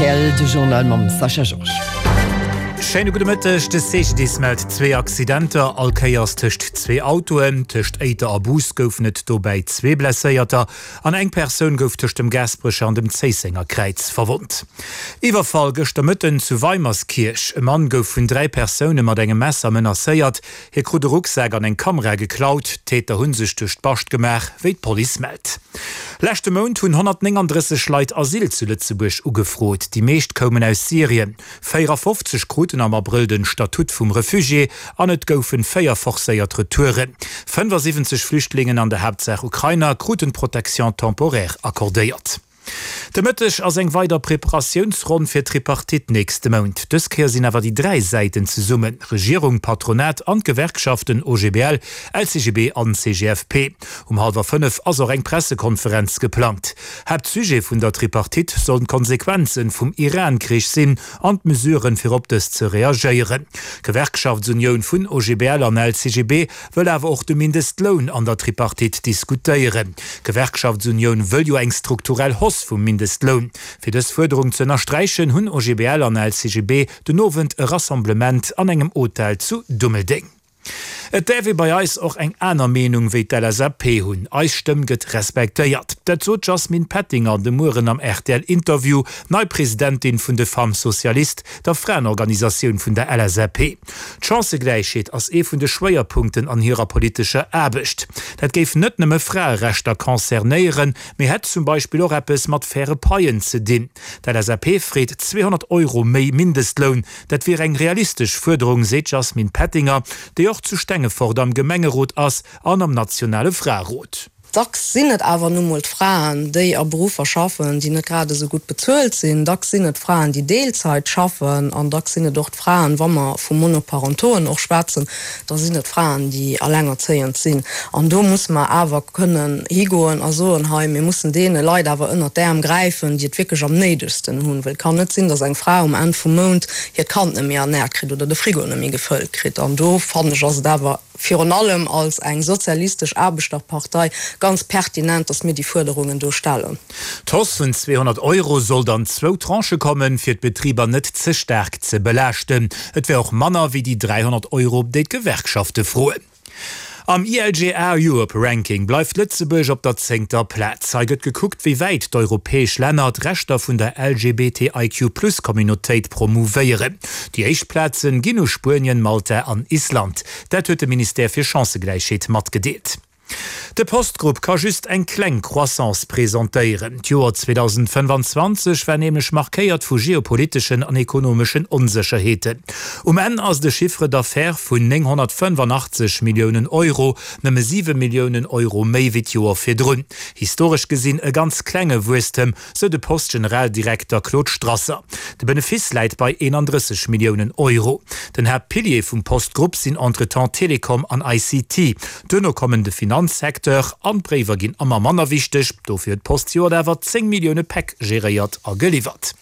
rtl, de Journal mam Sascha Georges. Schéine gudde Mëtteg. De CGDIS mellt zwee Accidenter, all Kéiers tëscht zwee Autoen. Tëscht Éiter a Bous goufen et dobäi zwee Blesséierter an eng Persoun gouf tëscht dem Gaasperecher an dem Zéissenger Kräiz verwonnt. Iwwerfall gëschter Mëtten zu Weimerskierch. E Mann gouf vun 3 Persoune mat engem Messer menacéiert. Hie krut e Rucksak an eng Kamera geklaut. D'Täter hu sech duerch d'Bascht gemaach, wéi d'Police mellt. Leschte Mount hunn 139 Leit Asyl zu Lëtzebuerg ugefrot. Déi meescht koumen aus Syrien. 54 kruten am Abrëll den Statut vum Refugié an et goufen 4 forcéiert Retouren. 75 Flüchtlingen, an der Haaptsaach Ukrainer, kruten d'Protection temporaire accordéiert. De Mëtteg ass eng weider Preparatiounsronn fir d'Tripartite nächste Mount. Dës Kéier sinn awer déi 3 Säiten zesummen, Regierung, Patronat an d'Gewerkschaften OGBL, LCGB an CGFP. Um hallwer 5 ass och eng Pressekonferenz geplangt. Haaptsujet vun der Tripartite sollen d'Konsequenzen vum Iran-Krich sinn an d'Mesuren, fir op dës ze reagéieren. D'Gewerkschaftsunioun vun OGBL an LCGB wëll awer och de Mindestloun an der Tripartite diskutéieren. D'Gewerkschaftsunioun wëll jo eng strukturell Hausse vum Mindestloun. Fir dës Fuerderung ze ënnersträichen, hunn OGBL an LCGB den Owend e Rassemblement an engem Hotel zu Dummeldeng. Et däerf ee bei eis och eng aner Meenung wéi d'LSAP hunn. Eis Stëmm gëtt respektéiert. Dat sot d'Jasmine Pettinger de Mueren am RTL-Interview, nei Presidentin vun de Femmes Socialistes, der Fraenorganisatioun vun der LSAP. D'Chancëgläichheet ass ee vun de Schwéierpunkten an hirer politescher Aarbecht. Dat géif net nëmme Fraerechter concernéieren, mee hätt zum Beispill och eppes mat faire Paien ze dinn. D'LSAP freet 200 Euro méi Mindestloun. Dat wier eng realistesch Fuerderung, seet d'Jasmine Pettinger, déi och zu Stengefort am Gemengerot ass an am nationale Fraerot. Dacks sinn et awer nu mol d'Fraen, déi a Beruffer schaffen, déi net grad esou gutt bezuelt sinn. Dacks sinn et d'Fraen, déi Deelzeit schaffen. An dacks sinn et och d'Fraen, wa mer vu Monoparentoen och schwätzen, da sinn et Fraen, déi alengerzéiend sinn. An do musse mer awer kënnen higoen a soen, hei, mir mussen deene Leit awer ënnert d'Äerm gräifen, déi et wierklech am néidegsten hunn. Well et kann net sinn, datt eng Fra um Enn vum Mount hiert Kand net méi ernäert kritt oder de Frigo net méi gefëllt kritt. An do, fannen ech, ass et awer virun allem als eng sozialistesch Aarbechterpartei, ganz pertinent, dass mir déi Fuerderungen do stellen. D'Hausse vun 200 Euro sollt an zwou Tranchë kommen, fir d'Betriber net ze staark ze belaaschten. Et wär och manner wéi déi 300 Euro, déi d'Gewerkschafte froen. Am ILGA Europe Ranking bleift Lëtzebuerg op der zéngter Plaz. Hei gëtt gekuckt, wéi wäit d'europäesch Länner d'Rechter vun der LGBTIQ-Plus-Communautéit promouvéieren. Déi éischt Plazen ginn u Spuenien, Malta an Island. Dat huet de Ministère fir Chancëgläichheet matgedeelt. De Post-Grupp ka just eng kleng Croissance presentéieren. D'Joer 2025 war nämlech markéiert vu geopoliteschen an ekonomeschen Onsécherheeten. Um Enn ass de Chiffre d'affaires vun 985 Milliounen Euro nëmme 7 Milliounen Euro méi wéi d'Joer virdrun. Historesch gesinn e ganz klenge Wuesstem, sou de Post-Generaldirekter Claude Strasser. De Benefice läit bei 31 Milliounen Euro. Den Haaptpilier vum Post-Grupp sinn entretemps Telekom an ICT. Duerno kommen de Finanzsecteur an d'Bréiwer ginn ëmmer manner wichteg. Dofir huet d'Post zejoert awer 10 Millioune Päck geréiert a geliwwert.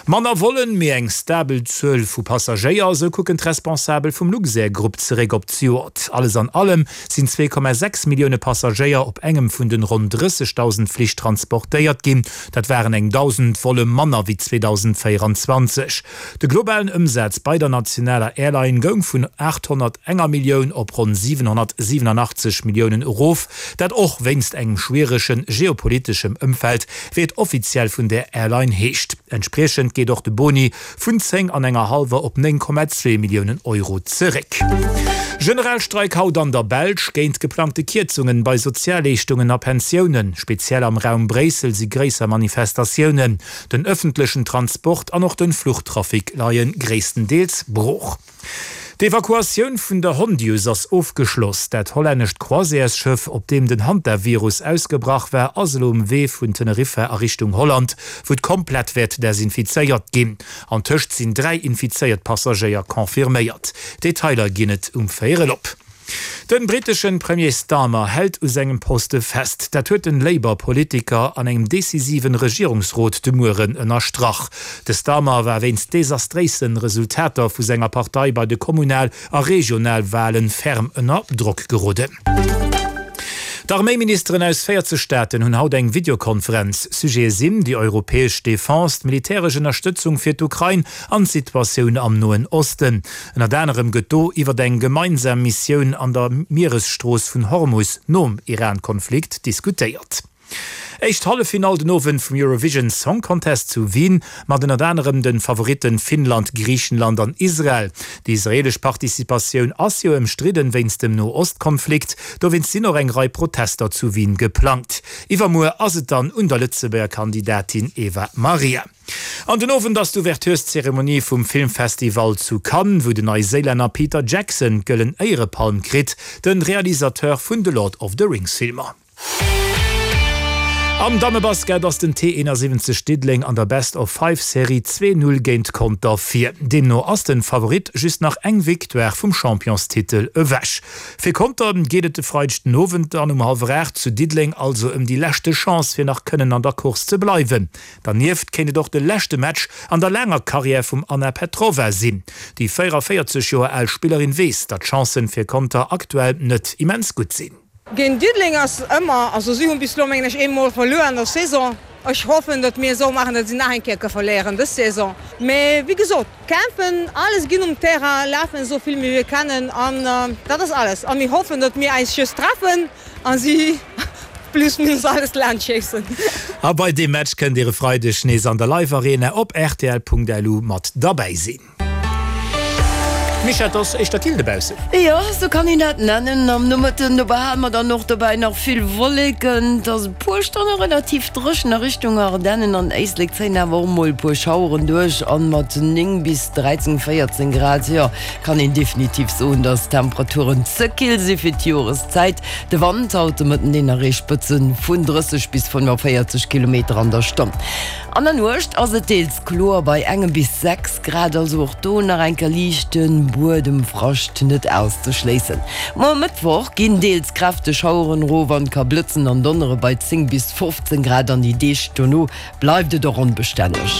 Manner Vollen, mee eng stabel Zuel vu Passagéier, esou kucken d'Responsabel vum Luxair-Grupp zeréck op d'Joert. Alles an allem sinn 2,6 Millioune Passagéier op engem vun den ronn 30.000 Flich transportéiert ginn. Dat waren eng 1.000 Volle manner wéi 2024. De globalen Ëmsaz bei der nationaler Airline goung vun 801 Millioun op ronn 787 Milliounen erof, dat och wéinst engem schwierege geopoliteschem Ëmfeld, wéi et offiziell vun där Airline heescht. Entspriechend geet och de Boni vun 10 an enger hallwer op 9,2 Milliounen Euro zeréck. Generalstreik haut an der Belsch géint geplangte Kierzungen bei Sozialleeschtungen a Pensiounen. Speziell am Raum Bréissel si gréisser Manifestatiounen. Den ëffentlechen Transport an och den Fluchtrafic leie gréisstendeels brooch. D'Evakuatioun vun der Hondius ass ofgeschloss. Dat hollännescht Croisièresschëff, op deem den Hantavirus ausgebrach war, ass elo um Wee vun Teneriffa a Richtung Holland, wou et komplett wäert desinfizéiert ginn. Antëscht sinn 3 infizéiert Passagéier confirméiert. Detailer ginn et um Véierel op. Den britteschen Premier Starmer hält u sengem Poste fest. Dat huet den Labour-Politiker an engem decisiven Regierungsrot de Mueren ënnerstrach. De Starmer war wéinst desastréisen Resultater vu senger Partei bei de Kommunal a Regionalwalen ferm ënner Drock geroden. D'Arméiministeren aus 40 Staaten hunn haut eng Videokonferenz. Sujete sinn déi europäesch Defense, d'militäresch Ënnerstëtzung fir d'Ukrain an d'Situatioun am Noen Osten. Ënnert anerem gëtt do iwwer eng gemeinsam Missioun an der Mieresstrooss vun Hormus nom Iran-Konflikt diskutéiert. Éischt Halleffinall den Owend vum Eurovision Song Contest zu Wien, mat ënnert anerem de Favoritten Finnland, Griichenland an Israel. Déi israeelesch Participatioun ass jo ëmstridden wéinst dem No-Ost-Konflikt. Dowéinst sinn och eng Rei Protester zu Wien geplangt. Iwwermuer ass et dann un der Lëtzebuerger Kandidatin Eva Maria. An den Owend ass d'Ouvertureszeremonie vum Filmfestival zu Cannes, wou den Neiséilänner Peter Jackson d'Gëllen Éierepalm kritt, de Realisateur vun de Lord of the Rings Filmer. Am Dammebasket ass den T71 Diddeleng an der Best of Five Serie 2, 0 géint Conter vir. Deemno ass den Favorit just nach eng Victoire vum Championstitel ewech. Fir Conter geet et de Freideg den Owend dann um hallwer 8 zu Diddeleng also ëm déi leschte Chance fir nach kënnen an der Course ze bleiwen. Dernieft kéint et och de leschte Match an der laanger Karriär vum Anna Petrova sinn. Déi 44 Joer al Spillerin weess, datt d'Chancen fir Conter aktuell net immens gutt sinn. Géint Diddeleng ass ëmmer, also si hunn bis elo mengen ech ee Mol verluer an der Saison. Ech hoffen, datt mir esou maachen, datt si nach eng Kéier ke verléieren dës Saison. Mee wéi gesot, kämpfen, alles ginn um Terrain, lafen esou vill wéi mir kennen an dat ass alles. A mir hoffen, datt mir eis just treffen a si plus minus alles laanscht schéissen. A bei deem Match kënnt Dir e Freideg nees an der Live Arena op rtl.lu mat derbäi sinn. Micha, et ass éischter kill dobaussen. Jo, sou kann een dat nennen. Am Nomëtten do behale mer dann och dobäi nach vill Wolleken. Et ass e puer Stonne relativ dréchen. A Richtung Ardennen an Éislek zéien awer och mol e puer Schaueren duerch an mat 9 bis 13, 14 Grad, jo, kann een definitiv soen, dass d'Temperaturen ze kill si fir d'Joreszäit. De Wand haut de Mëtten, deen erreecht Spëtze vun 30 bis 45 Kilometer an der Stonn. An der Nuecht ass et deels kloer bei engem bis 6 Grad, also och do nach eng Kéier liichte Buedemfrascht net auszeschléissen. Muer Mëttwoch ginn deels kräfteg Schaueren erof an et ka blëtzen an donnere bei 10 bis 15 Grad an déi Deeg dono bleift et och onbestänneg.